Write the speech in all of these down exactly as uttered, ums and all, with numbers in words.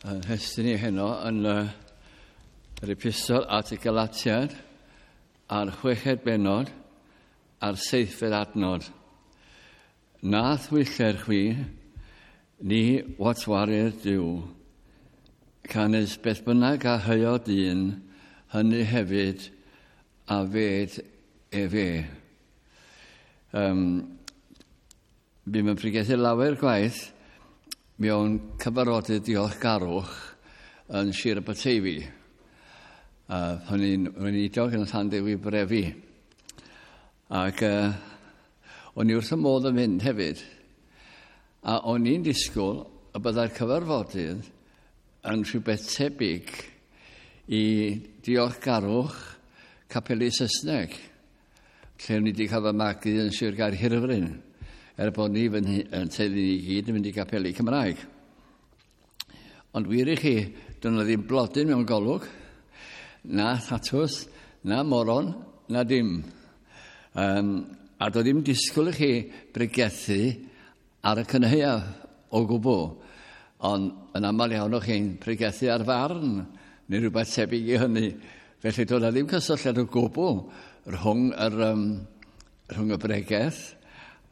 Yn nhestun ni heno yn uh, yr epistol at y Galatiad a'r chweched bennod a'r seithfed adnod. Na thwyller chwi, ni watwarir Duw. Canys beth bynnag a heuo dyn, hynny hefyd a fed efe. Um, Bûm yn pregethu lawer gwaith mewn cyfarfodydd diolchgarwch yn Sir Aberteifi. Uh, pan i'n weinidog yn Llanddewi Brefi. Ac uh, o'n i wrth y modd yn mynd hefyd. A o'n i'n disgwyl y byddai'r cyfarfodydd yn rhywbeth tebyg i diolchgarwch capeli Saesneg, lle o'n i wedi cael fy magu yn Sir Gaerhirfryn, er bod ni fy yn teulu ni gyd yn mynd i gapeli Cymraeg. Ond wir i chi, doedd 'na ddim blodyn mewn golwg, na thatws, na moron, na dim. Um, a doedd ddim disgwyl i chi bregethu ar y cynhaeaf o gwbl. Ond yn aml iawn o'ch chi'n pregethu ar farn, neu rhywbeth tebyg i hynny. Felly doedd 'na ddim cysylltiad o gwbl rhwng, yr, um, rhwng y bregeth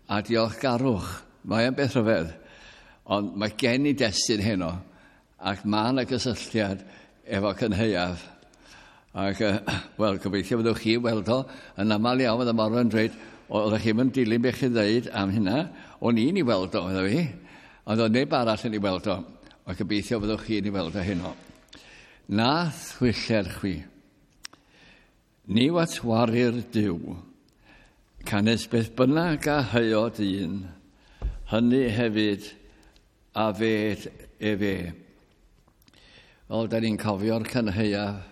a diolchgarwch. Mae o'n beth rhyfedd. Ond mae gen i destun heno, ac mae yna gysylltiad efo cynhaeaf. Ac, uh, wel, gobeithio fyddwch chi weld o yn aml iawn, fydda Morwen yn dweud, oeddech chi'n mynd dilyn beth chi'n dweud am hynna, o'n i'n ei weld o, medda fi. Ond oedd neb arall yn ei weld o. Ond gobeithio fyddwch chi'n ei weld o heno. Na thwyller chwi. Ni watwarir Duw. Canys beth bynnag a heuo dyn, hynny hefyd a fed efe. Wel, da ni'n cofio'r cynhaeaf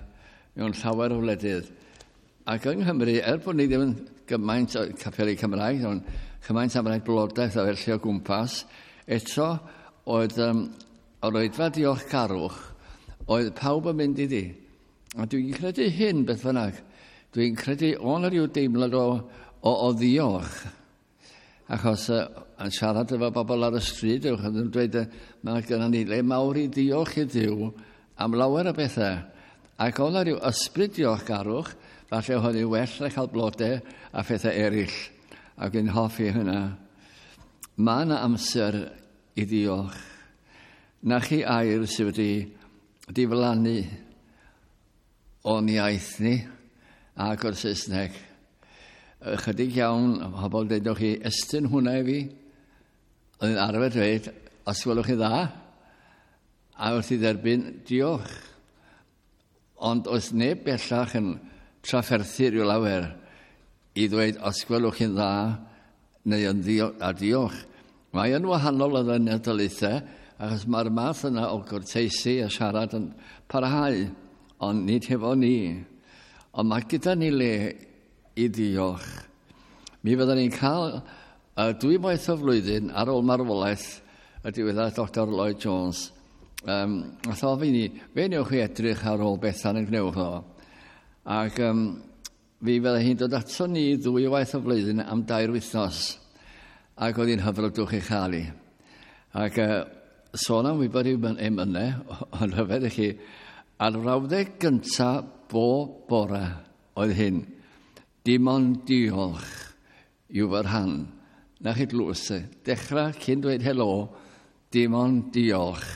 mewn llawer o wledydd. Ac yng Nghymru, er bod ni ddim yn gymaint o capeli Cymraeg, ond cymaint am rai blodaeth a felly o gwmpas, eto oedd um, yr oedfa diolchgarwch, oedd pawb yn mynd iddi. A dwi'n credu hyn beth bynnag. Dwi'n credu o'n rhyw deimlad o, o, o ddiolch. Achos uh, yn siarad efo bobl ar y stryd, ewch yn dweud, mae gennym ni le mawr i ddiolch i Dduw am lawer o bethau. Ac oedd yna rhyw ysbryd diolchgarwch, falle oedd hi'n well na cael blodau a phethau eraill. Ac yn hoffi hynna. Mae yna amser i ddiolch. Na chi air sydd wedi diflannu o'n iaith ni ac o'r Saesneg. Ychydig iawn, pobl dweud chi, estyn hwnna i fi. Oedd yn arfer dweud, os gwelwch chi dda, a wrth i dderbyn, diolch. Ond oes neb bellach yn trafferthu rhyw lawer i ddweud, os gwelwch chi'n dda, neu yn dio a diolch. Mae yn wahanol yn y daleithiau, achos mae'r math yna o gwrteisi a siarad yn parhau, ond nid hefo ni. Ond mae gyda ni le i ddiolch. Mi fyddwn ni'n cael uh, dwy waith o flwyddyn ar ôl marwolaeth y diweddar Doctor Lloyd Jones. Um, nath ofyn i ni, fe newch chi edrych ar ôl Bethan yn gwnewch o. Ac um, fi fydde hi'n dod ato ni ddwy waith o flwyddyn am dair wythnos. Ac oedd hi'n hyfrydwch ei chael hi. Ac uh, sôn am wybod i'w emynau, ond rhyfedd i chi, a'r frawddeg gyntaf bob bore oedd hyn. Dim ond diolch yw fy rhan. Na chi dlws. Dechrau cyn dweud helo, dim ond diolch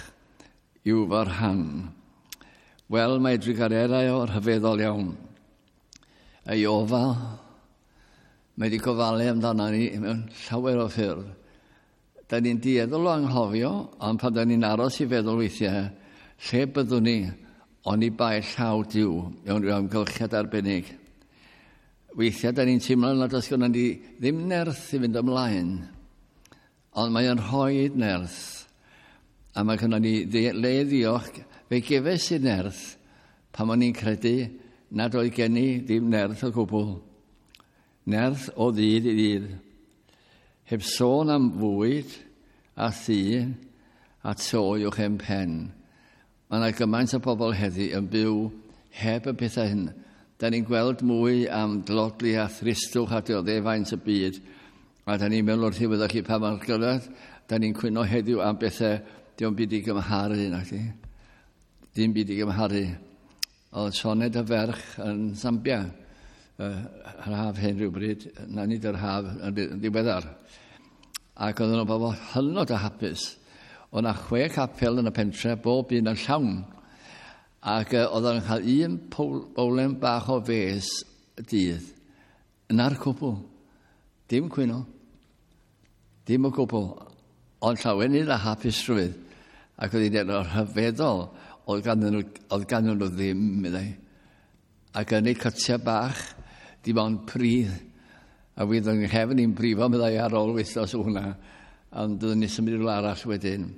yw fy rhan. Wel, mae drugareddau o'r rhyfeddol iawn. Ei ofal, mae wedi gofalu amdano ni mewn llawer o ffyrdd. Da ni'n dueddol o anghofio, ond pan da ni'n aros i feddwl weithiau, lle byddwn ni oni bai llaw Duw mewn rhyw amgylchiad arbennig. Weithiau da ni'n teimlo nad oes gynnon ni ddim nerth i fynd ymlaen, ond mae o'n rhoi nerth. A mae gynnon ni le ddiolch, fe gefes i nerth pan o'n i'n credu nad oedd gen i ddim nerth o gwbl. Nerth o ddydd i ddydd. Heb sôn am fwyd a thŷ a to uwch ein pen. Mae yna gymaint o bobl heddi yn byw heb y pethau hyn. Da ni'n gweld mwy am dlodli a thristwch a dioddefaint y byd. A da ni'n meddwl wrth i fyddwch chi pa mae'r gyrraedd, da ni'n cwyno heddiw am bethau diolch byd i gymharu, na chi. Dim byd i gymharu. Oedd Sioned y ferch yn Zambia, uh, yr haf hyn rhywbryd, na nid yr haf yn ddiweddar. Ac oedden nhw'n bobl hynod o hapus. Oedd yna chwe capel yn y pentre, bob un yn llawn. Ac uh, oedden nhw'n cael un bowlen bach o fes y dydd. Yna'r cwbl. Dim cwyno. Dim o gwbl. Ond llawenydd a hapusrwydd. Ac oedd hi'n dweud, o'r rhyfeddol, oedd ganddyn nhw, oedd ganddyn nhw ddim, meddai. Ac yn eu cytiau bach, dim ond pridd. A fydd yng nghefn i'n brifo, meddai, ar ôl wythnos o hwnna. Ond byddwn ni symud i rywle arall wedyn.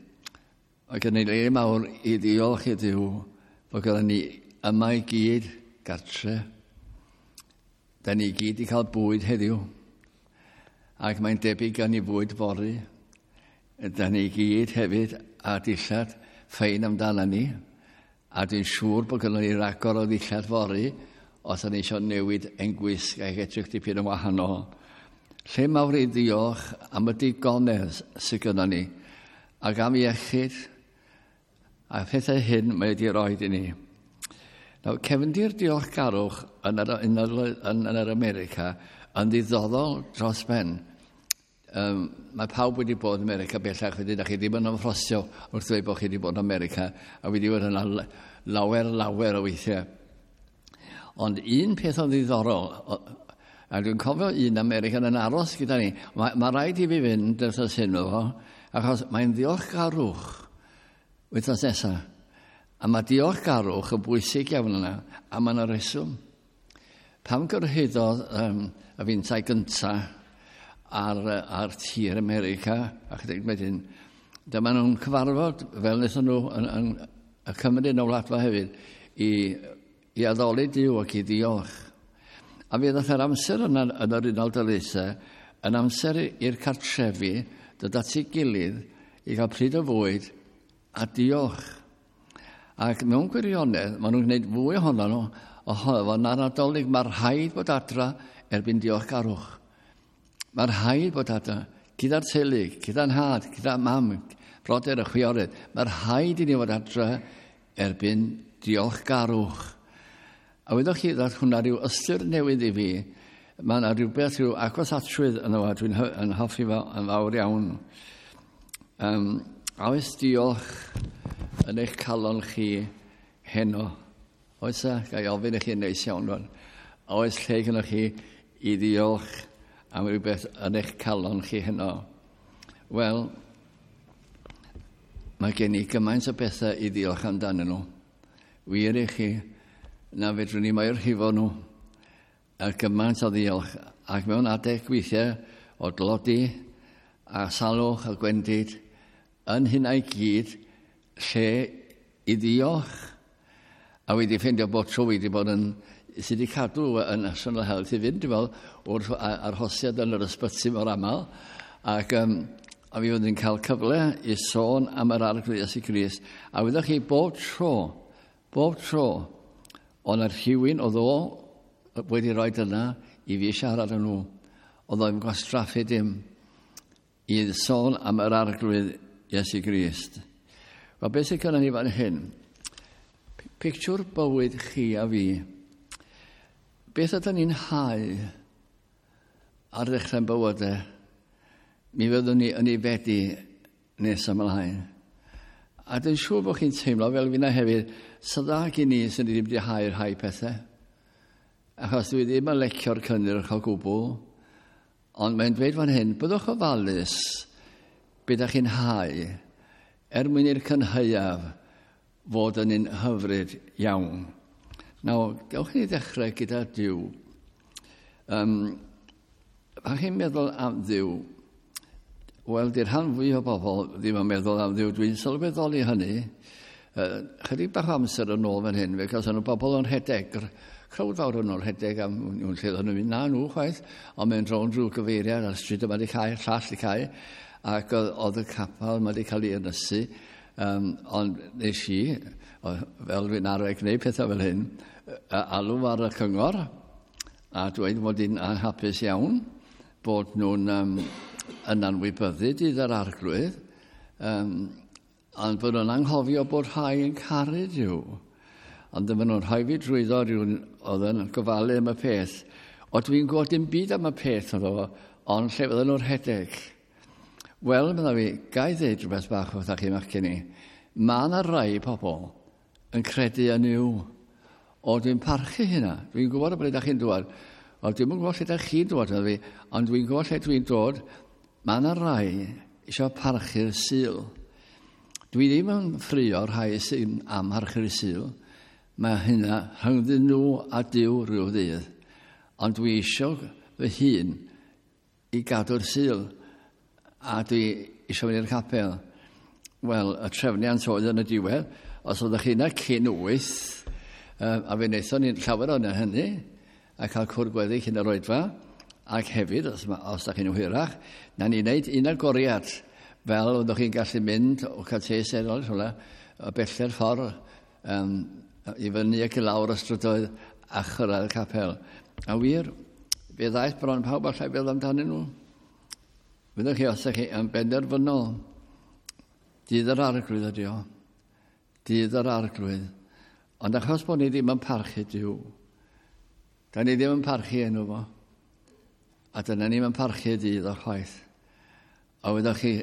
Ac yn ei le mawr i ddiolch i Dduw fod gyda ni yma i gyd gartre. Da ni gyd i cael bwyd heddiw. Ac mae'n debyg gan ni fwyd fory. Da ni gyd hefyd a dillad ffein amdano ni. A dwi'n siŵr bod gynnon ni ragor o ddillad fory os yna eisiau newid ein gwisg ac edrych dipyn yn wahanol. Lle mawr i ddiolch am y digonedd sydd gynnon ni ac am iechyd a phethau hyn mae wedi rhoi i ni. Nawr, cefndir diolchgarwch yn yr, yn yr, yn, yn yr America yn ddiddorol dros ben. Um, mae pawb wedi bod yn America bellach, wedyn da chi ddim yn ymffrostio wrth ddweud bod chi wedi bod yn America, a wedi bod yna lawer, lawer o weithiau. Ond un peth o'n ddiddorol, a dwi'n cofio un American yn aros gyda ni, mae, mae rhaid i fi fynd wythnos hyn o, achos mae'n ddiolchgarwch wythnos nesaf. A mae diolchgarwch yn bwysig iawn yna, a mae yna reswm. Pam gyrhaeddodd um, y fintai gyntaf ar, ar tir America, a chydig wedyn, dyma nhw'n cyfarfod, fel wnaethon nhw yn, yn, y Cymru yn y wladfa hefyd, i, i addoli Duw ac i ddiolch. A fe ddath yr amser yna yn yr Unol Daleithiau yn amser i'r cartrefi dod at ei gilydd i gael pryd o fwyd a diolch. Ac mewn gwirionedd, maen nhw'n gwneud fwy ohono nhw ohono fo na'r Nadolig. Mae rhaid bod adra erbyn diolchgarwch. Mae rhaid bod adra gyda'r teulu, gyda'n nhad, gyda mam, brodyr a chwiorydd. Mae rhaid i ni fod adra erbyn diolchgarwch. A wyddoch chi, ddath hwnna rhyw ystyr newydd i fi. Mae yna rhywbeth rhyw agosatrwydd yno fo, dwi'n yn hoffi fo yn fawr iawn. Um, a oes diolch yn eich calon chi heno? Oes e? Ga i ofyn i chi yn neis iawn rwan. A oes lle gyda chi i ddiolch am rhywbeth yn eich calon chi heno? Wel, mae gen i gymaint o bethau i ddiolch amdanyn nhw. Wir i chi, na fedrwn ni mae'r rhifo nhw. A gymaint o ddiolch. Ac mewn adeg weithiau o dlodi a salwch a gwendid, yn hynna i gyd, lle i ddiolch. A wedi ffeindio bod tro wedi bod yn, sydd wedi cadw yn National Health i fynd, dwi'n meddwl, wrth arhosiad yn yr ysbyty mor aml. Ac um, a fi fydd yn cael cyfle i sôn am yr Arglwydd Iesu Grist. A wyddoch chi, bob tro, bob tro, oedd yna rhywun oedd o wedi rhoi yna i fi siarad â nhw. Oedd o'n gwastraffu dim i sôn am yr Arglwydd Iesu Grist. Wel, beth sy'n gynnon ni fan hyn? Pictiwr bywyd chi a fi. Beth ydyn ni'n hau ar ddechrau'n bywydau? Mi fyddwn ni yn ei fedi nes ymlaen. A dwi'n siŵr bod chi'n teimlo fel finna hefyd, sa dda gen i sy'n ni ddim wedi hau rhai pethau. Achos dwi ddim yn lecio'r cynnyrch o gwbl. Ond mae'n dweud fan hyn, byddwch ofalus be ydych chi'n hau er mwyn i'r cynhaeaf fod yn un hyfryd iawn. Nawr, gewch ni ddechrau gyda Duw. Um, pan chi'n meddwl am Dduw, wel, di'r rhan fwy o bobl ddim yn meddwl am Dduw. Dwi'n sylweddoli hynny. Uh, chydig bach o amser yn ôl fan hyn, fe gawson nhw bobl yn rhedeg, crowd fawr yn ôl rhedeg am nhw'n lle oedden nhw'n mynd, na nhw chwaith, ond mynd rownd drwy gyfeiriad a'r stryd yma wedi cau, llall wedi cau, ac oedd y capel yma wedi cael ei ynysu. Um, ond nes i, fel dwi'n arfer gwneud pethau fel hyn, alw ar y cyngor a dweud mod i'n anhapus iawn bod nhw'n um, yn anwybyddu dydd yr Arglwydd. Um, Ond bod nhw'n anghofio bod rhai yn caru Duw. Ond dyma nhw'n rhoi fi drwyddo rhywun oedd yn gofalu am y peth. O, dwi'n gwybod dim byd am y peth oedd o, ond lle fydden nhw'n rhedeg. Wel, medda fi, ga i ddeud rhywbeth bach wrthach chi machgen i. Mae yna rai pobl yn credu yn Nuw. O, dwi'n parchu hynna. Dwi'n gwybod o ble da chi'n dŵad. O, dwi'm yn gwybod lle da chi'n dŵad, medda fi, ond dwi'n gwybod lle dwi'n dod. Mae yna rai eisiau parchu'r Sul. Dwi ddim yn ffrio rhai sy'n amharchu'r Sul. Mae hynna rhyngddyn nhw a Duw rhyw ddydd. Ond dwi eisiau fy hun i gadw'r Sul. A dwi eisiau mynd i'r capel. Wel, y trefniant oedd yn y diwedd, os oeddech chi yna cyn wyth, a fe wnaethon ni llawer o'n hynny, a cael cwrdd gweddi cyn yr oedfa, ac hefyd, os, os da chi'n hwyrach, na ni wneud un agoriad, fel oeddech chi'n gallu mynd o cael eraill, hwnna, o beller ffordd um, i fyny ac i lawr y strydoedd a chyrraedd y capel. A wir, fe ddaeth bron pawb allai feddwl amdanyn nhw. Fyddwch chi, os ydych chi yn benderfynol, dydd yr Arglwydd ydi o. Dydd yr Arglwydd. Ond achos bod ni ddim yn parchu Duw, da ni ddim yn parchu enw fo, a dyna ni'n yn parchu dydd o'r chwaith. A wyddoch chi,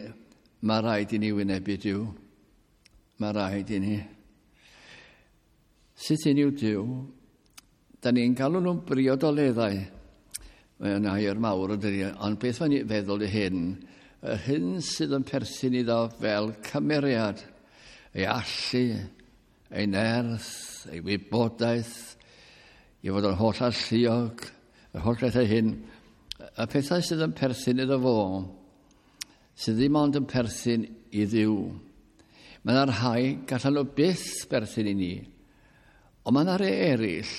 mae rhaid i ni wynebu Duw. Mae rhaid i ni. Sut i ni yw Duw? Da ni'n galw nhw'n briodoleddau. Mae'n air mawr ydy, ond beth mae'n feddwl i hyn? Yr hyn sydd yn perthyn iddo fel cymeriad, ei allu, ei nerth, ei wybodaeth, i fod yn holl alluog, yr holl bethau hyn, y pethau sydd yn perthyn iddo fo, sydd ddim ond yn perthyn i Dduw. Mae yna rhai gallan nhw byth berthyn i ni, ond mae yna rhai eraill,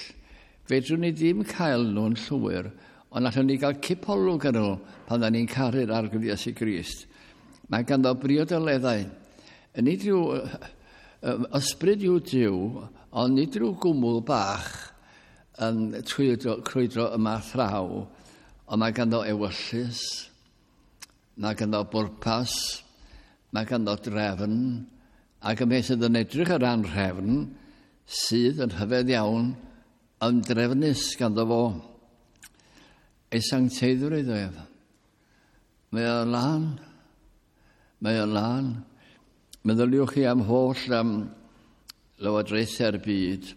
fedrwn ni ddim cael nhw'n llwyr, ond allwn ni gael cipolwg ar nhw pan da ni'n caru'r Arglwydd Iesu Grist. Mae ganddo briodoleddau. Nid rhyw ysbryd yw Duw, ond nid rhyw gwmwl bach yn crwydro, crwydro yma thraw, ond mae ganddo ewyllys, mae ganddo bwrpas, mae ganddo drefn, ac y beth sydd yn edrych ar anhrefn, sydd yn rhyfedd iawn, yn drefnus ganddo fo. Ei sancteiddrwydd ef. Mae o'n lân. Mae o'n lân. Meddyliwch chi am holl am lywodraethau'r byd.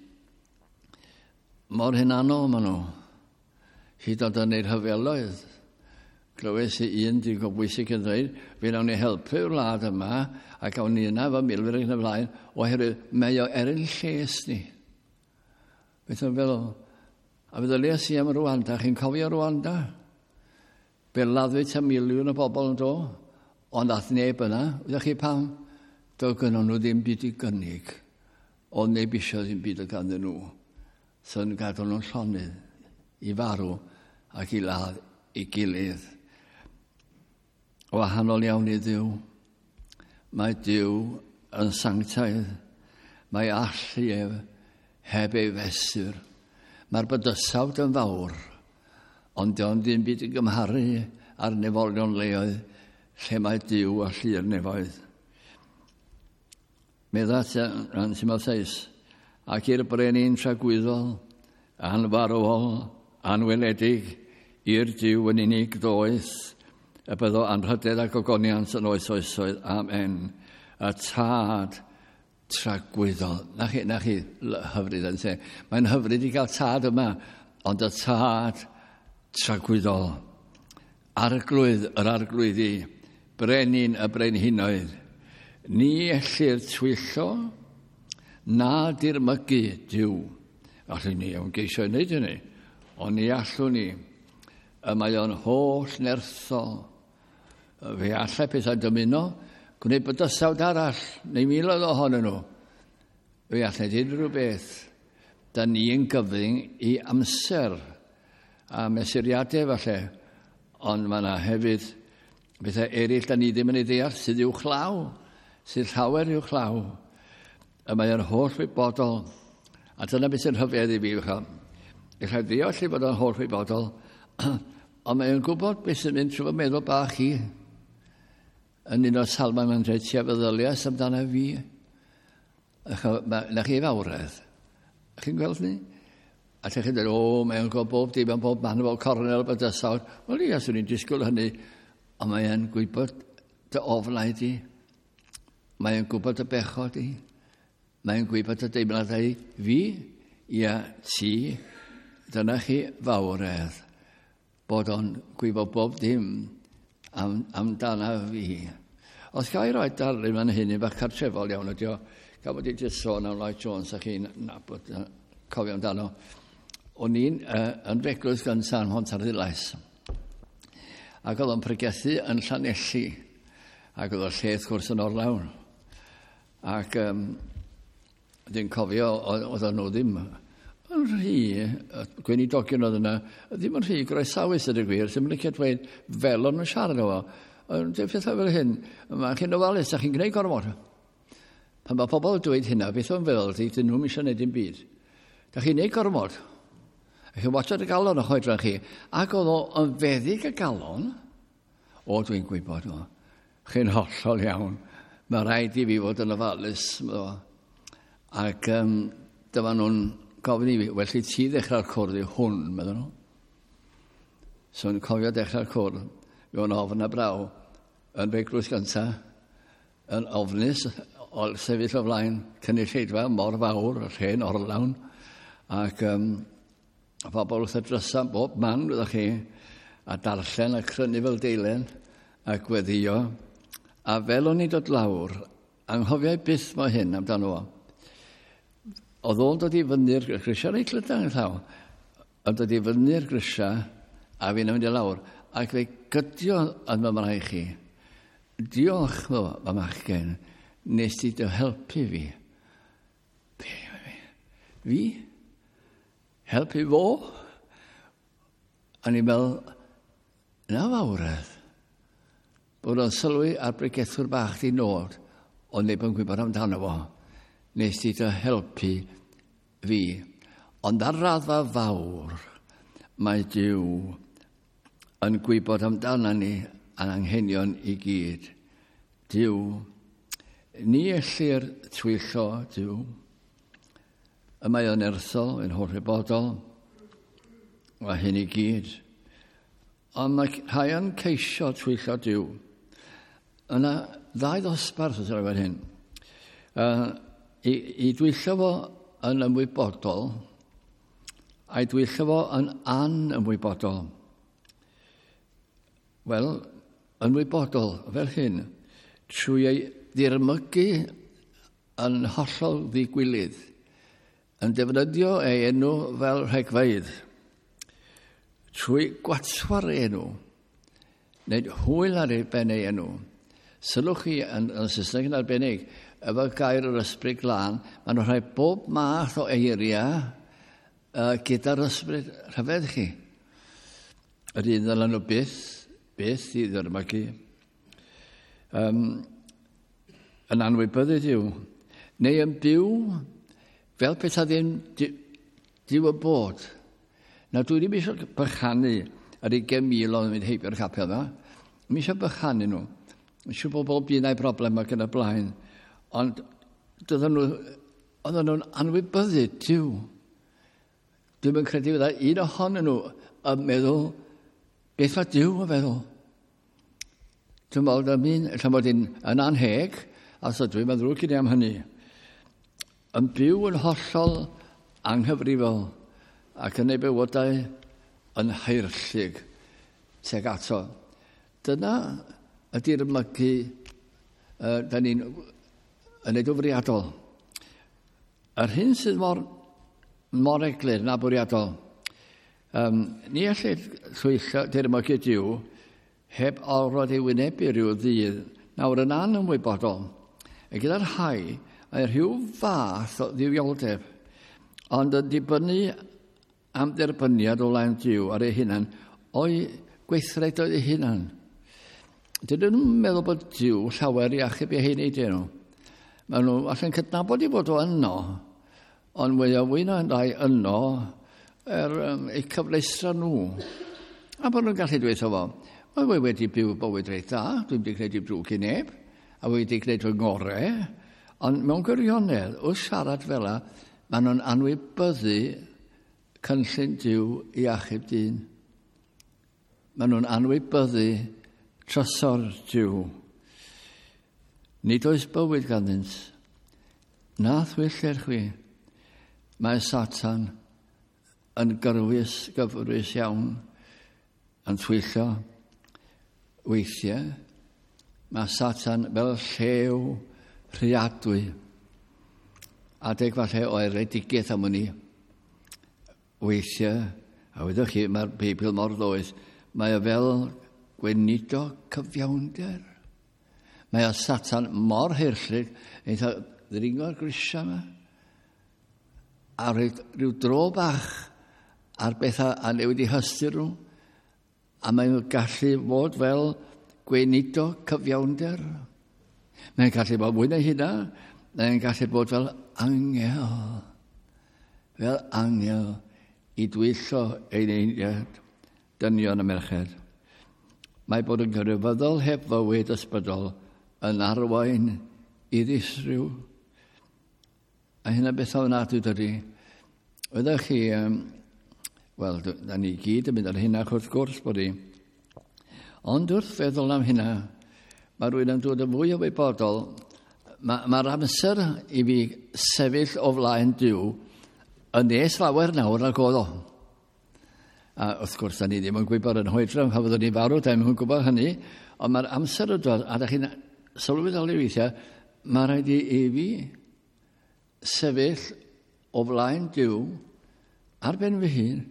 Mor hunanol maen nhw. Hyd yn oed yn eu rhyfeloedd. Glywes i un digon bwysig yn dweud, fe nawn ni helpu'r wlad yma a gawn ni yna efo milwyr ac yn y blaen, oherwydd mae o er ein lles ni. Beth o'n feddwl? A feddyliais i am Rwanda, chi'n cofio Rwanda? Fe laddwyd tua miliwn o bobl yn do, ond ath neb yna. Wyddoch chi pam? Doedd gynnon nhw ddim byd i gynnig. Oedd neb eisiau ddim byd o ganddyn nhw. So yn gadael nhw'n llonydd i farw ac i ladd i gilydd. Wahanol iawn i Dduw. Mae Duw yn sanctaidd. Mae allu ef heb ei fesur. Mae'r bydysawd yn fawr, ond dio'n ddim byd i gymharu ar nefolion leoedd lle mae Duw a llu'r nefoedd. Medda yn Timotheus, ac i'r brenin tragwyddol, anfarwol, anweledig, i'r Duw yn unig ddoeth, y byddo anrhydedd ac ogoniant yn oes oesoedd. Amen. Y tad tragwyddol. Na chi, na chi hyfryd yn lle. Mae'n hyfryd i gael tad yma, ond y tad tragwyddol. Arglwydd yr arglwyddi, brenin y brenhinoedd. Ni ellir twyllo na dirmygu Duw. Allwn ni iawn geisio i wneud hynny, ond ni allwn ni. Y mae o'n holl nerthol. Fe allai pethau dymuno, gwneud bydysawd arall, neu miloedd ohonyn nhw. Fe allai dweud rhyw beth. Da ni yn gyfyng i amser a mesuriadau falle, ond mae yna hefyd bethau eraill da ni ddim yn ei ddeall sydd uwchlaw, sydd llawer uwchlaw. Y mae o'n holl wybodol. A dyna beth sy'n rhyfedd i fi. Allai ddeall i fod o'n holl wybodol, ond mae o'n gwybod beth sy'n mynd trwy fy meddwl bach i. Yn un o'r salmau mae'n dweud, ti a feddyliais amdano fi. Na chi fawredd. Chi'n gweld ni? A lle chi'n dweud, o, mae'n gwybod bob dim am bob man fel cornel bydysawd. Wel, ia, swn i'n disgwyl hynny. Ond mae'n gwybod dy ofnau di. Mae'n gwybod dy bechod di. Mae'n gwybod dy deimladau fi, ia, ti. Dyna chi fawredd. Bod o'n gwybod bob dim am, amdana fi. Os ga i roi darlun fan hyn, un bach cartrefol iawn ydi o, gan bod i jyst sôn am Lloyd Jones a chi'n nabod, cofio amdano. O'n i'n uh, yn eglwys gynta yn Mhontarddulais. Ac oedd o'n pregethu yn Llanelli. Ac oedd o'r lle wrth gwrs yn orlawn. Ac um, dwi'n cofio, oedd nhw ddim yn rhy, gweinidogion oedd yna, ddim yn rhy groesawus ydy gwir, ddim yn licio dweud fel o'n nhw'n siarad o fo. Ond pethau fel hyn, mae chi'n ofalus, a chi'n gwneud gormod. Pan mae pobl yn dweud hynna, beth o'n feddwl ydy, dyn nhw'n eisiau gwneud dim byd. Da chi'n gwneud gormod. A chi'n watchad y galon o'ch oedran chi. Ac oedd o yn feddyg y galon, o, dwi'n gwybod o, chi'n hollol iawn. Mae rhaid i fi fod yn ofalus. Ac um, dyma nhw'n gofyn i fi, well i ti ddechrau'r cwrdd i hwn, meddwl nhw. So yn cofio dechrau'r cwrdd, mewn ofn a braw, yn eglwys gynta, yn ofnus, o sefyll o flaen cynulleidfa mor fawr, y lle'n orlawn, ac um, pobl wrth y drysa bob man, wyddech chi, a darllen a crynu fel deilen, a gweddio, a fel o'n i'n dod lawr, anghofiau byth mo hyn amdano fo. Oedd o'n dod i fyny'r grisiau reit lydan yn llaw. Oedd dod i fyny'r grisiau, a fi'n mynd i lawr, ac fe gydio yn fy mraich chi. Diolch, fy machgen, nes ti dy helpu fi. Be, fi? Fi? Helpu fo? A ni'n meddwl, na fawredd, bod o'n sylwi ar bregethwr bach di nod, ond neb yn gwybod amdano fo. Nes ti dy helpu fi. Ond ar raddfa fawr, mae Duw yn gwybod amdano ni a'n anghenion i gyd. Duw, ni ellir twyllo Duw. Y mae o'n erthol, yn hollwybodol, a hyn i gyd. Ond mae rhai yn ceisio twyllo Duw. Yna ddau ddosbarth os yw'n hyn. Uh, I, i dwyllo fo yn ymwybodol, a'i dwyllo fo yn anymwybodol. Wel, ymwybodol, fel hyn, trwy ei ddirmygu yn hollol ddigwilydd, yn defnyddio ei enw fel rhegfeydd, trwy gwatwar ei enw, wneud hwyl ar ei ben ei enw. Sylwch chi yn, yn Saesneg yn arbennig, efo gair yr ysbryd glân, maen nhw'n rhoi bob math o eiriau uh, gyda'r ysbryd rhyfedd chi. Yr un ddylen nhw byth, byth i ddyrmygu. Um, yn anwybyddu Duw. Neu yn byw fel pethau ddim Duw yn bod. Nawr dwi ddim eisiau bychanu yr ugain mil o'n mynd heibio'r capel yma. Ddim eisiau bychanu nhw. Mae'n siŵr bod bob un a'i broblem ac yn y blaen. Ond doedden nhw, oedden nhw'n anwybyddu Duw. Dwi'm yn credu fydda un ohonyn nhw yn meddwl beth mae Duw yn feddwl. Dwi'n meddwl am un, ella mod i'n yn anheg, a so dwi'n meddwl ddrwg i ni am hynny. Yn byw yn hollol anghyfrifol ac yn ei bywydau yn haerllug tuag ato. Dyna ydy'r mygu uh, da ni'n yn ei fwriadol. Yr hyn sydd mor, mor eglur na bwriadol, um, ni allai llwyllo dirmygu Duw heb orfod ei wynebu rhyw ddydd nawr yn anymwybodol. A gyda'r rhai, mae rhyw fath o dduwioldeb, ond yn dibynnu am dderbyniad o flaen Duw ar ei hunan, o'i gweithredoedd ei hunan. Dydyn nhw'n meddwl bod Duw llawer i achub ei hun nhw. Maen nhw allan cydnabod i fod o yno, ond mwy o fwy na rai yno er um, eu cyfleustra nhw. A bod nhw'n gallu dweud fo, Wel, we wedi byw bywyd reit dda, dwi'n wedi gwneud i drwg i neb, a wedi gwneud fy ngorau, ond mewn gwirionedd, wrth siarad fel la, maen nhw'n anwybyddu cynllun Duw i achub dyn. Maen nhw'n anwybyddu trysor Duw. Nid oes bywyd ganddynt. Na thwyllir chwi. Mae Satan yn gyrwys, gyfrwys iawn, yn twyllo. Weithiau, mae Satan fel llew rhiadwy. Adeg falle o eredigaeth am hynny. Weithiau, a wyddoch chi, mae'r Beibl mor ddoeth, mae o fel gweinidog cyfiawnder. Mae o Satan mor hirllug, eitha ddringo'r grisiau yma, a rhoi rhyw dro bach ar bethau a newid i hystyr nhw, a mae'n gallu fod fel gweinidog cyfiawnder. Mae'n gallu bod mwy na hynna, mae'n gallu bod fel angel, fel angel i dwyllo ein einiad, dynion a merched. Mae bod yn grefyddol heb fywyd ysbrydol yn arwain i ddisryw. A hynna beth ofnadwy dydy. Oeddech chi, um, wel, da ni gyd yn mynd ar hynna wrth gwrs bod i. Ond wrth feddwl am hynna, mae rhywun yn dod yn fwy o wybodol. Mae'r ma amser i fi sefyll o flaen Duw yn nes lawer nawr nag oedd o. A wrth gwrs, da ni ddim yn gwybod yn hoedran pan fyddwn ni'n farw, da ni'n gwybod hynny, ond mae'r amser yn dod, a da chi'n sylweddoli weithiau, mae rhaid i, i fi sefyll o flaen Duw ar ben fy hun,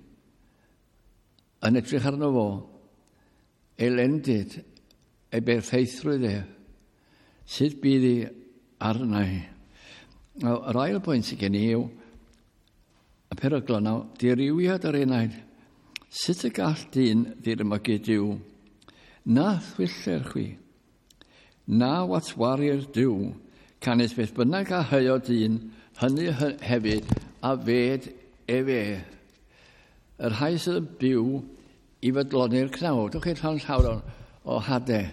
yn edrych arno fo, ei lendid, ei berffeithrwydd e, sut bydd i arna i. Nawr, yr ail bwynt sydd gen i yw y peryglon nawr, dirywiad yr enaid. Sut y gall dyn ddirmygu Duw? Na thwyller chwi, na watwarir Duw, canys beth bynnag a hyo dyn, hynny hefyd a fed efe. Y rhai sydd yn byw i fodloni'r cnawd. Dwch chi'n rhan llawr o, o hadau.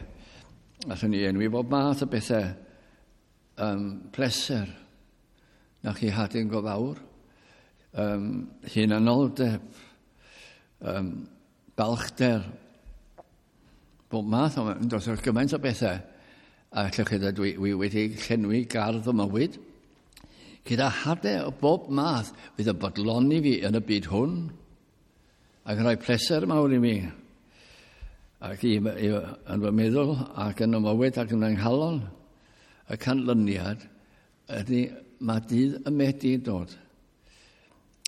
Allwn ni enwi bob math o bethau. Um, pleser. Na chi hadau'n go fawr. Um, hunanoldeb. Um, balchder. Bob math o, does o'r gymaint o bethau. A allwch chi ddweud, dwi, dwi wedi llenwi gardd o mywyd. Gyda hadau o bob math fydd yn bodloni fi yn y byd hwn. Ac yn rhoi pleser mawr i mi. Ac i, i, yn fy meddwl ac yn y mywyd ac yn fy nghalon, y canlyniad ydy mae dydd y medi yn dod.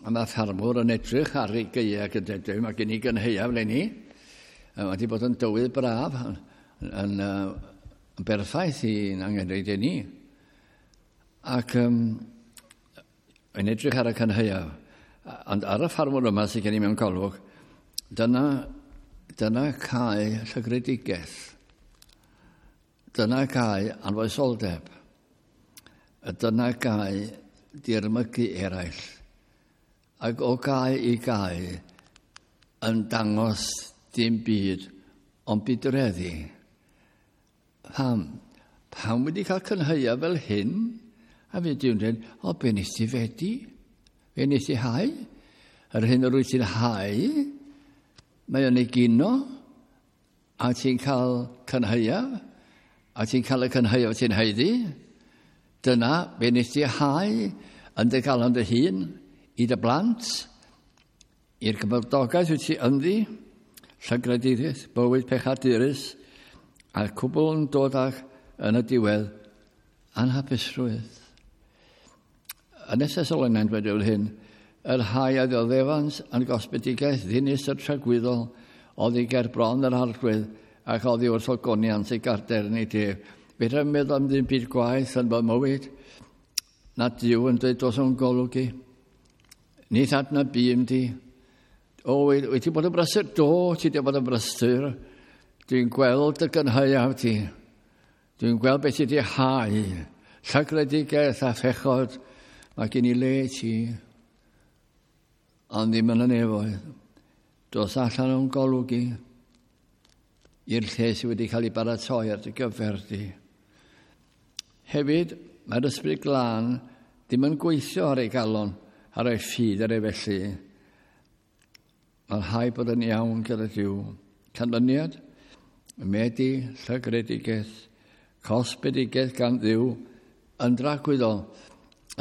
A mae ffarmwr yn edrych ar ei gaeau ac yn dweud, mae gen i gynhaeaf eleni. Mae wedi bod yn dywydd braf, yn, yn, yn berffaith i'n angenrhaid i ni. Ac um, yn edrych ar y cynhaeaf. Ond ar y ffarmwr yma sydd gen i mewn golwg, dyna, dyna cae llygredigaeth. Dyna cae anfoesoldeb. Dyna cae dirmygu eraill. Ac o gae i gae yn dangos dim byd ond budreddi. Pam? Pam wedi cael cynhaeaf fel hyn? A fe Duw'n dweud, o, be nes ti fedi? Be nes ti hau? Yr hyn yr wyt ti'n hau, mae o'n egino, a ti'n cael cynhaeaf, a ti'n cael y cynhaeaf ti'n haeddu. Dyna be nes ti hau yn dy galon dy hun, i dy blant, i'r gymdogaeth wyt ti ynddi, llygredigaeth, bywyd pechadurus, a'r cwbl yn dod ag yn y diwedd anhapusrwydd. Yn y Thessaloniaid dweud hyn, yr rhai a ddioddefant yn gosbedigaeth ddinistr tragwyddol oddi ger bron yr Arglwydd ac oddi wrth ogoniant ei gadarnid ef. Fedra i'm meddwl am ddim byd gwaeth yn fy mywyd na Duw yn dweud dos o'n golwg i. Nid adnabûm di. O, wyt ti bod yn brysur? Do, ti wedi bod yn brysur. Dwi'n gweld y gynhaeaf ti. Dwi'n gweld beth ti wedi hau. Llygredigaeth a phechod. Mae gen i le ti. Ond ddim yn y nefoedd. Dos allan o'n golwg i. i'r lle sydd wedi cael ei baratoi ar dy gyfer di. Hefyd, mae'r Ysbryd Glân ddim yn gweithio ar ei galon, ar ei ffydd, ar ei felly. Mae'n rhaid bod yn iawn gyda Duw. Canlyniad, medi, llygredigaeth, cosbedigaeth gan Dduw, yn dragwyddol.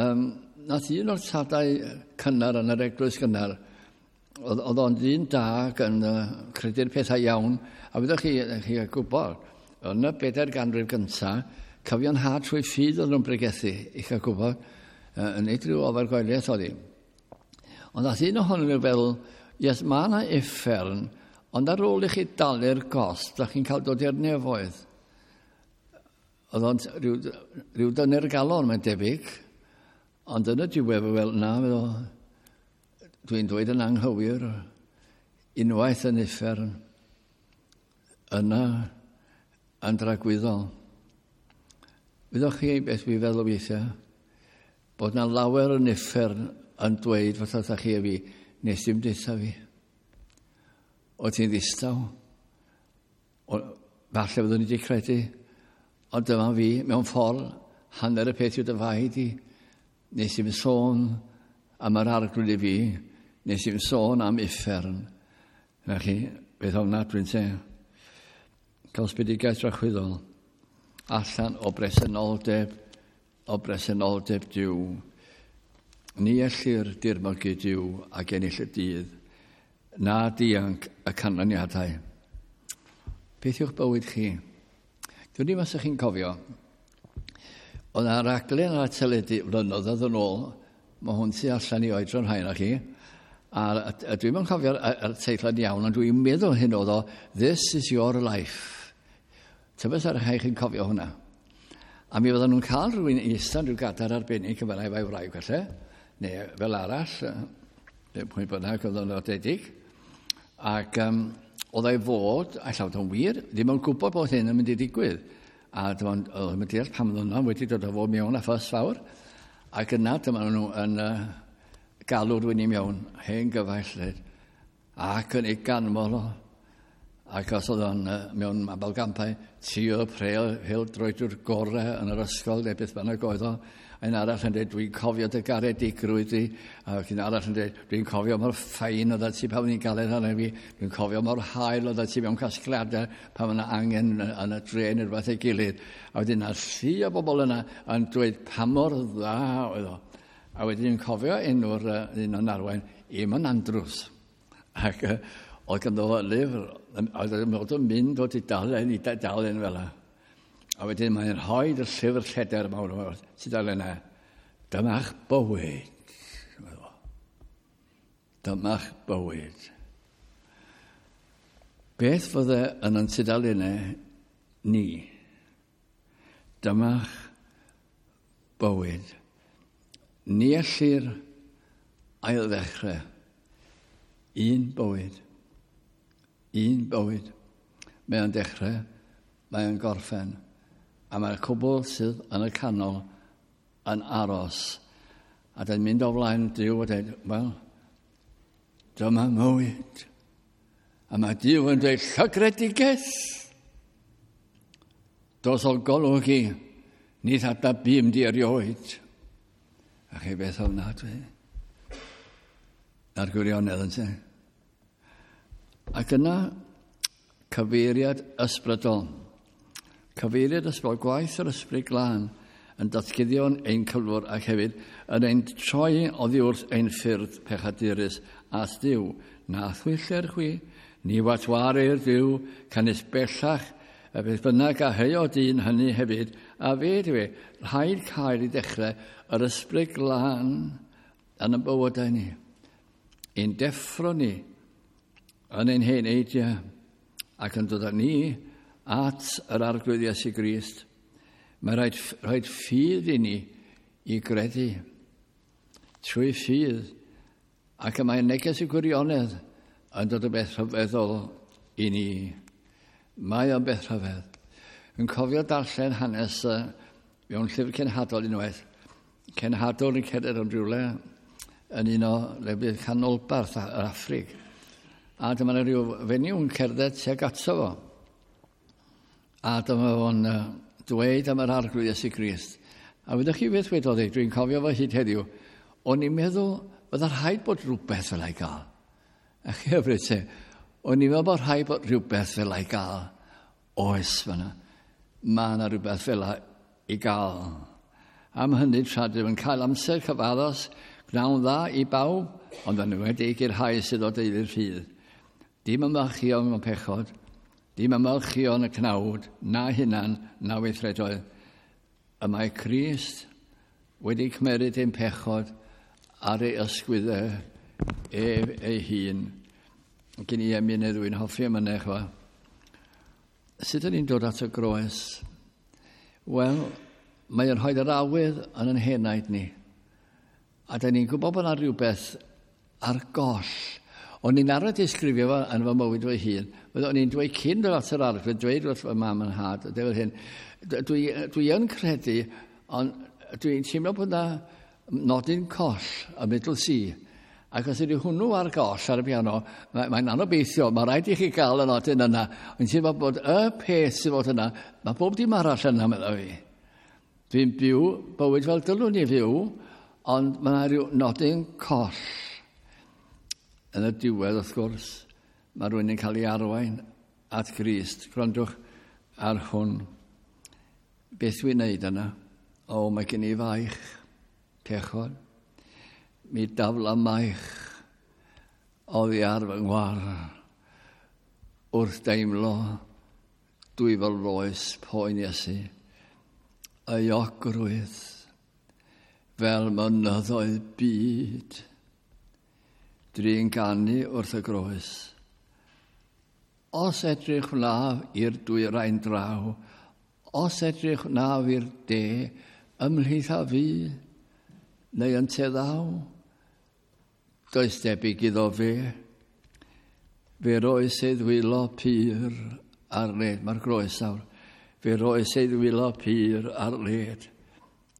Um, nath un o'r tadau cynnar yn yr eglwys gynnar, oedd, oedd o'n ddyn da ac yn uh, credu'r pethau iawn, a fyddwch chi, chi gwybod, yn y bedair ganrif gyntaf, cyfiawnhad trwy ffydd oedd nhw'n bregethu, i chael gwybod, uh, yn nid rhyw ofergoeliaeth oedd hi. Ond nath un ohonyn nhw feddwl, yes, mae yna uffern, ond ar ôl i chi dalu'r gost, da chi'n cael dod i'r nefoedd. Oedd o'n rhyw, rhyw dynu'r galon, mae'n debyg. Ond yn y diwedd, fel, na, meddwl, dwi'n dweud yn anghywir, unwaith yn uffern, yna yn dragwyddol. Wyddoch chi beth dwi'n feddwl weithiau? Bod na lawer yn uffern yn dweud fatha chi a fi, nes dim deutha fi. O ti'n ddistaw? O, falle fyddwn ni wedi credu. Ond dyma fi, mewn ffordd, hanner y peth yw dy fai di. Nes i'm sôn am yr Arglwydd i fi, nes i'm sôn am uffern. Na chi, beth ofnadwy dwi'n te. Cosbedigaeth drachwyddol. Allan o bresenoldeb, o bresenoldeb Duw. Ni ellir dirmygu Duw ac ennill y dydd, na dianc y canlyniadau. Beth yw'ch bywyd chi? Dwi'n ddim os ydych chi'n cofio, oedd yna raglen ar y teledu flynyddoedd yn ôl, mae hwn tu allan i oedran rhai na chi, a, a, a dwi'n yn cofio'r ar teitl yn iawn, ond dwi'n meddwl hyn oedd o, This is your life. Tybed ar rhai chi'n cofio hwnna. A mi fydden nhw'n cael rhywun eistedd rhyw gadair arbennig yn fel efo'i wraig falle, neu fel arall, neu pwy bynnag oedd o'n nodedig. Ac um, oedd ei fod, a llawer o'n wir, ddim yn gwybod bod hyn yn mynd i ddigwydd. A dyma oedd yn deall pam oedd yna wedi dod o fod mewn a ffys fawr. Ac yna dyma nhw yn uh, galw rhywun i mewn, hen gyfaill, ac yn ei ganmol o. Ac os oedd o'n uh, mewn mabolgampau, ti o prel, pêl-droediwr gorau yn yr ysgol, neu beth bynnag oedd o. Un arall yn dweud, dwi'n cofio dy garedigrwydd di. Ac un arall yn dweud, dwi'n cofio mor fine oedd ti pan o'n galed arno fi. Dwi'n cofio mor hael oedd ti mewn casgliadau pan yna angen yn y dre neu rhywbeth ei gilydd. A wedyn yna llu o bobl yna yn dweud pa mor dda oedd o. A wedyn dwi'n cofio enw'r uh, un o'n arwain, Eamon Andrews. Ac uh, oedd ganddo fo lyfr, oedd o'n mynd o dudalen i dudalen fel yna. A wedyn mae'n rhoi y llyfr lleder mawr o'r tudalennau. Dyma'ch bywyd. Dyma'ch bywyd. Beth fydde yn yn tudalennau ni? Dyma'ch bywyd. Ni ellir ailddechrau. Un bywyd. Un bywyd. Mae o'n dechrau, mae o'n gorffen. A mae'r cwbl sydd yn y canol yn aros. A dyn mynd o flaen Duw a dweud, wel, dyma mywyd. A mae Duw yn dweud, llygredigaeth. Dos o golwg i, ni adnabûm di erioed. A chi beth ofnadwy. Na'r gwirionedd yn te. Ac yna, cyfeiriad ysbrydol. Cyfeiriad ysbrydol, gwaith yr Ysbryd Glân yn datguddion ein cyflwr ac hefyd yn ein troi oddi wrth ein ffyrdd pechadurus at Dduw. Na thwyllir chwi, ni watwarir Duw, canys bellach, y beth bynnag a heuo dyn hynny hefyd, a fe dwi, rhaid cael i dechrau yr Ysbryd Glân yn y bywydau ni. Ein deffro ni yn ein hen eidiau ac yn dod â ni at yr Arglwydd Iesu Grist. Mae rhaid, rhaid ffydd i ni i gredu. Trwy ffydd. Ac y mae neges y gwirionedd yn dod o beth rhyfeddol i ni. Mae o'n beth rhyfedd. Yn cofio darllen hanes uh, mewn llyfr cenhadol unwaith. Cenhadol yn cerdded yn rhywle yn un o lefydd canolbarth yr Affrig. A dyma yna rhyw fenyw yn cerdded tuag ato fo. A dyma fo'n uh, dweud am yr Arglwydd Iesu Grist. A wyddoch chi beth wedodd e, dwi'n cofio fo hyd heddiw, o'n i'n meddwl fydda rhaid bod rhywbeth fel ei gael. A chi hyfryd te, o'n i'n meddwl bod rhaid bod rhywbeth fel ei gael. Oes fyna, mae yna rhywbeth fel ei gael. Am hynny, tra dwi yn cael amser cyfaddos, gwnawn dda i bawb, ond yn enwedig i'r rhai sydd o deulu'r ffydd. Dim ymfalchïo mewn pechod, dim ymfalchïo yn y cnawd, na hunan, na weithredoedd. Y mae Crist wedi cymeryd ein pechod ar ei ysgwyddau ef ei hun. Gen i emyn neu ddwy'n hoffi emynau, chwa. Sut ydyn ni'n dod at y groes? Wel, mae'n rhoi yr awydd yn yn henaid ni. A da ni'n gwybod bod yna rhywbeth ar goll. O'n i'n arfer disgrifio fo yn fy mywyd fy hun. O'n i'n dweud cyn dod at yr Arglwydd, dweud wrth fy mam yn nhad, dweud hyn, dwi, dwi yn credu, ond dwi'n teimlo bod yna nodyn coll y middle C. Ac os ydy hwnnw ar goll ar y piano, mae'n mae anobeithio, mae rhaid i chi gael y nodyn yna. Ond teimlo bod y peth sydd fod yna, mae bob dim arall yna, meddwl fi. Dwi'n byw bywyd fel dylwn i fyw, ond mae yna rhyw nodyn coll. Yn y diwedd, wrth gwrs, mae rhywun yn cael ei arwain at Grist. Gwrandwch ar hwn. Beth dwi'n neud yna? O, mae gen i faich, pechod. Mi dafla maich oddi ar fy ngwar wrth deimlo dwyfol loes poen Iesu. Euogrwydd fel mynyddoedd byd. Drin ganu wrth y groes. Os edrych wnaf i'r dwyrain draw, os edrych wnaf i'r de, ymhlith a fi, neu ynte ddaw, does debyg iddo fe. Fe roes ei ddwylo pur ar led, mae'r groes nawr. Fe roes ei ddwylo pur ar led.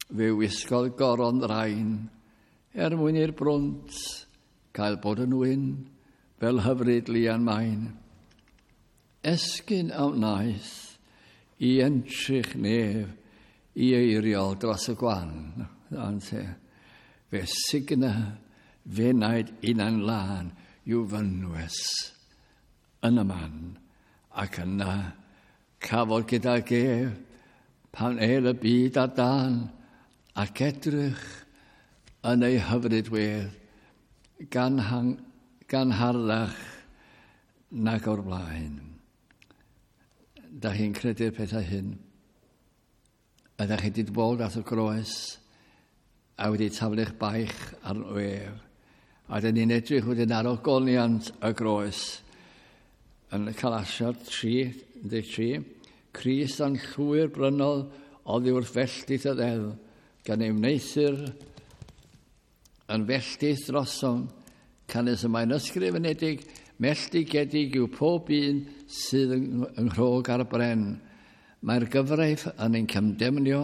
Fe wisgodd goron ddrain, er mwyn i'r brwnt cael bod yn wyn, fel hyfryd lian main. Esgyn a wnaeth i entrych nef i eiriol dros y gwan. Ante. Fe signa fenaid unan lân i'w fynwes yn y man. Ac yna cafodd gydag ef pan el y byd ar dân ac edrych yn ei hyfryd wedd gan, hang, gan harddach nag o'r blaen. Da chi'n credu'r pethau hyn? Ydych chi wedi dod at y groes a wedi taflu'ch baich arno ef? A dyn ni'n edrych wedyn ar ogoniant y groes yn Galatiaid tri, un deg tri. Crist a'n llwyr brynodd oddi wrth felltith y ddeddf, gan ei wneuthur yn felltith drosom, canys y mae'n ysgrifenedig, melltigedig yw pob un sydd yng nghrog ar y bren. Mae'r gyfraith yn ein cymdemnio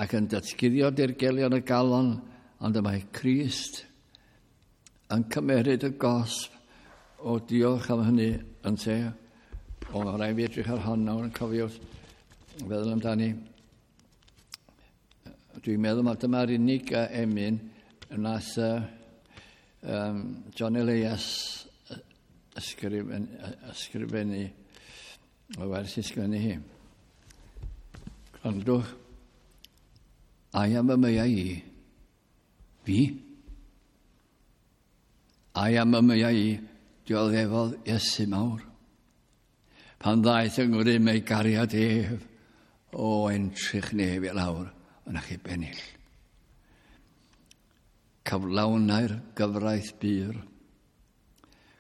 ac yn datguddio dirgelion y galon, ond y mae Crist yn cymeryd y gosb. O, diolch am hynny, ynte. O, mae rhaid fi edrych ar hon nawr yn cofio feddwl amdani. Dwi'n meddwl mai dyma'r unig emyn wnaeth uh, um, John Elias ysgrifen, ysgrifennu, o wers ysgrifennu hi. Gwrandwch, ai am y meiau i, fi, ai am y meiau i, dioddefodd Iesu mawr. Pan ddaeth yng ngrym ei gariad ef, o entrych nef i lawr, yn achub ennill. Cyflawnau'r gyfraith bur,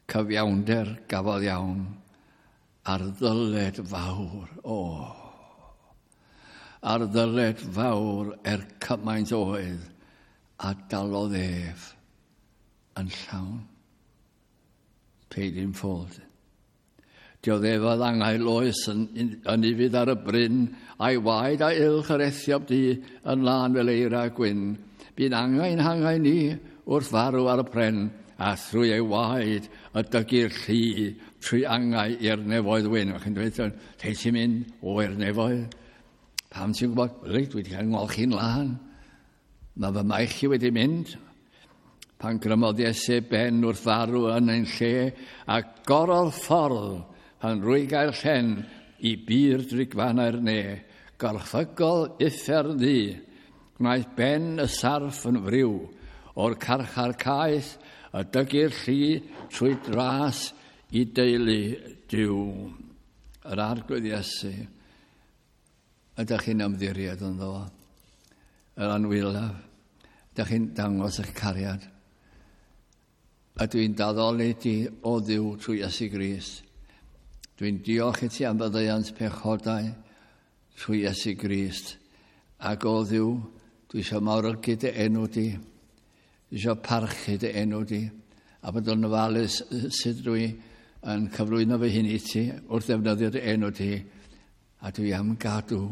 cyfiawnder gafodd iawn, ar ddyled fawr, o, ar ddyled fawr er cymaint oedd, a dalodd ef yn llawn. Paid in full. Dioddefodd angau loes yn, yn ufudd ar y bryn, a'i waed a ylch yr Ethiop du yn lân fel eira gwyn. Bu'n angau'n hangau ni wrth farw ar y pren, a thrwy ei waed y dygu'r llu trwy angau i'r nefoedd wyn. Mae chi'n dweud, te ti'n mynd o i'r nefoedd? Pam ti'n gwybod? Wel, dwi wedi cael ngolchi'n lân. Mae fy maich i wedi mynd. Pan grymodd Iesu ben wrth farw yn ein lle, a gorodd ffordd pan rwygai'r llen i bur drigfannau'r ne, gorchfygol uffern ddu, gwnaeth ben y sarff yn friw, o'r carchar caeth y dygu'r llu trwy dras i deulu Duw. Yr Arglwydd Iesu, ydych chi'n ymddiried ynddo fo? Yr anwylaf, ydych chi'n dangos eich cariad? A dwi'n daddoli ti o Dduw trwy Iesu Grist. Dwi'n diolch i ti am faddeuant pechodau trwy Iesu Grist. Ac o Dduw, dwi eisiau mawrygu dy enw di. Dwi eisiau parchu dy enw di. A bod yn ofalus sut dwi yn cyflwyno fy hun i ti wrth ddefnyddio dy enw di. A dwi am gadw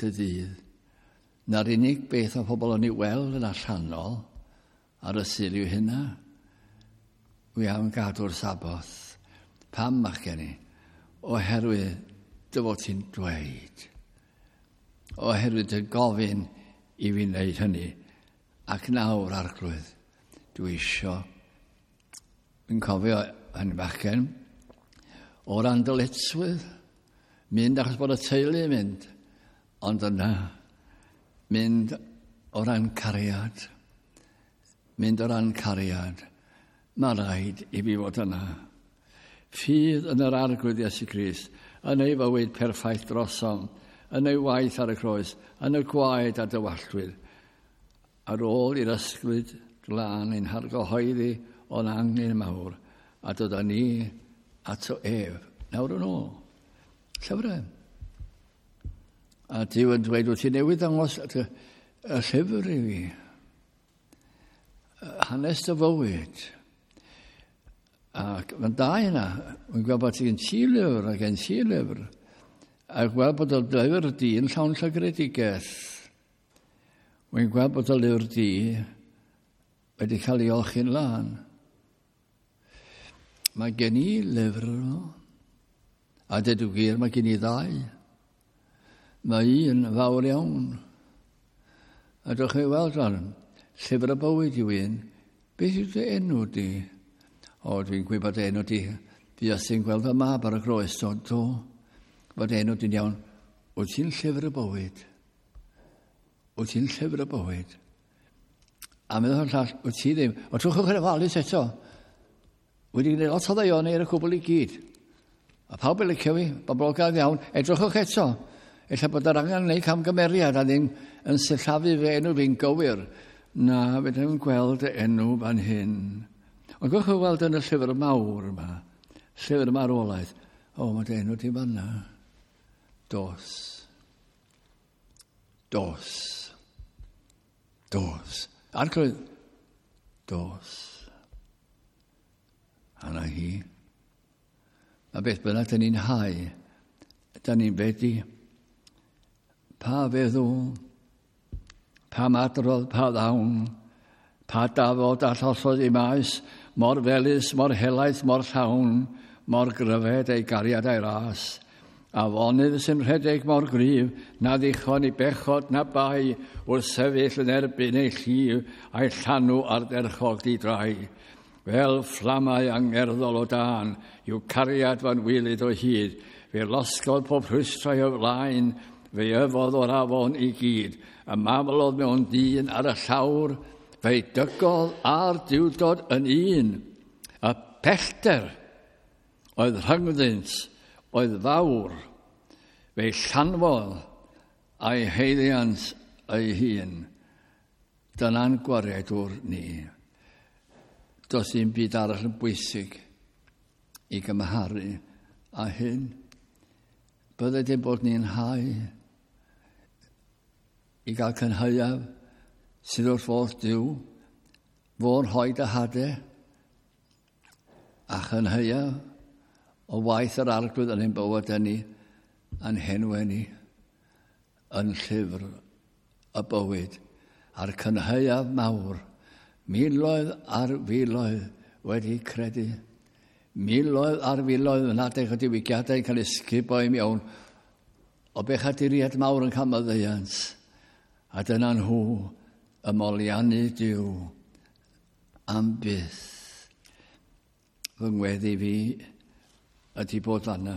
dy ddydd. Na'r unig beth o pobl yn ei weld yn allanol ar y Sul yw hynna. Dwi am gadw'r Saboth. Pam, machgen i? Oherwydd dy fod ti'n dweud. Oherwydd dy gofyn i fi wneud hynny. Ac nawr, Arglwydd, dwi isio. Dwi'n cofio hynny bachgen, o ran dyletswydd, mynd achos bod y teulu yn mynd, ond yna, mynd o ran cariad, mynd o ran cariad, mae rhaid i fi fod yna. Ffydd yn yr Arglwydd Iesu Grist, yn ei fywyd perffaith drosom, yn ei waith ar y croes, yn y gwaed a dywalltwyd, ar ôl i'r ysbryd glân ein hargyhoeddi o'n angen mawr, a dod â ni ato ef. Nawr yn ôl. Llyfrau. A Duw yn dweud, wyt ti newydd ddangos y llyfr i fi. Hanes dy fywyd. Ac mae'n da yna. Mae'n gweld bod ti'n ti lyfr ac gen ti lyfr. A gweld bod y lyfr di yn llawn llygredigaeth. Mae'n gweld bod y lyfr di wedi cael ei olchi'n lân. Mae gen i lyfr yno. A dweud y gwir, mae gen i ddau. Mae un fawr iawn. A dwch chi weld rhan, llyfr y bywyd yw un. Beth yw dy enw di? O, dwi'n gwybod enw di. Fues i'n gweld fy mab ar y groes, do, do. Bod enw di'n iawn. Wyt ti'n llyfr y bywyd? Wyt ti'n llyfr y bywyd? A meddwl o'r llall, wyt ti ddim. O, trwch chi'n ofalus eto. Wedi gwneud lot o ddaioni ar y cwbl i gyd. A pawb yn licio fi, boblogaidd iawn. Edrychwch eto. Ella bod yr angen wneud camgymeriad a ddim yn sillafu fy enw fi'n gywir. Na, fe ddim yn gweld y enw fan hyn. Ond gwch chi weld yn y llyfr mawr yma, llyfr marwolaeth, o, mae dy enw di fanna. Dos. Dos. Dos. Arglwydd. Dos. A na hi. Mae beth bynnag dyn ni'n hau, dyn ni'n fedi. Pa feddwl, pa madrodd, pa ddawn, pa dafod a llosodd i maes, mor felys, mor helaeth, mor llawn, mor gryfed ei gariad a'i ras. Afonydd sy'n rhedeg mor gryf, na ddichon i bechod na bai, wrth sefyll yn erbyn ei llif a'i llanw ardderchog di drai. Fel fflamau angerddol o dân, yw cariad fan wylyd o hyd, fe losgodd pob rhwystrau o flaen, fe yfodd o'r afon i gyd, y mamlodd mewn dyn ar y llawr, fe'i dygodd a'r diwdod yn un. Y pellter oedd rhyngddynt, oedd fawr, fe'i llanfodd a'i haeddiant ei hun. Dyna'n gwaredwr ni. Does dim byd arall yn bwysig i gymharu â hyn. Bydde dim bod ni'n hau i gael cynhaeaf sydd wrth fodd Duw, fo'n rhoi dy hadau a chynhaeaf o waith yr Arglwydd yn ein bywyd ni, a'n henwau ni, yn llyfr y bywyd, a'r cynhaeaf mawr, miloedd ar filoedd wedi credu. Miloedd ar filoedd yn adeg o diwygiadau yn cael eu sgubo i mewn o bechaduriaid mawr yn cael maddeuant. A dyna nhw y moliannu Duw am byth. Fy ngweddi fi ydy bod fanna.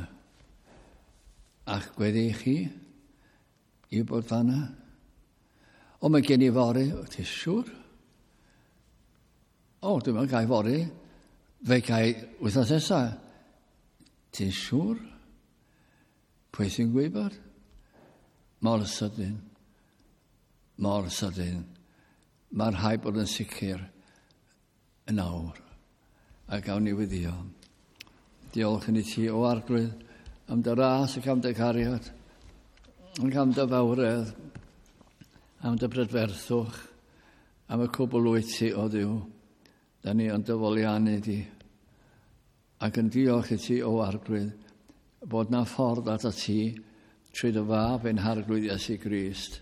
A'ch gweddi chi i bod fanna. O, mae gen i fory. O, ti'n siŵr? O, dwi'n meddwl gai fory. Fe gai wythnos nesaf. Ti'n siŵr? Pwy sy'n gwybod? Mor sydyn. Mor sydyn. Mae'r rhaid bod yn sicr yn awr. A gawn ni weddïo. Diolch yn i ti, o Arglwydd, am dy ras ac am dy gariad, ac am dy fawredd, am dy brydferthwch, am y cwbl wyt ti, o Dduw. Da ni yn dy foliannu di. Ac yn diolch i ti, o Arglwydd, bod na ffordd at ti trwy dy fab ein Harglwydd Iesu Grist.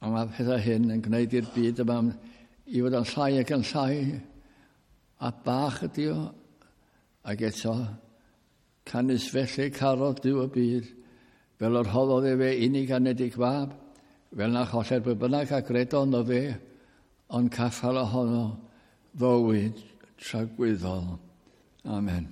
A mae pethau hyn yn gwneud i'r byd yma i fod yn llai ac yn llai, a bach ydi o, ac eto, canys felly carodd Duw y byd, fel yr rhoddodd efe unig anedig fab, fel na choller pwy bynnag a gredo ynddo fe, ond caffael ohono fywyd tragwyddol. Amen.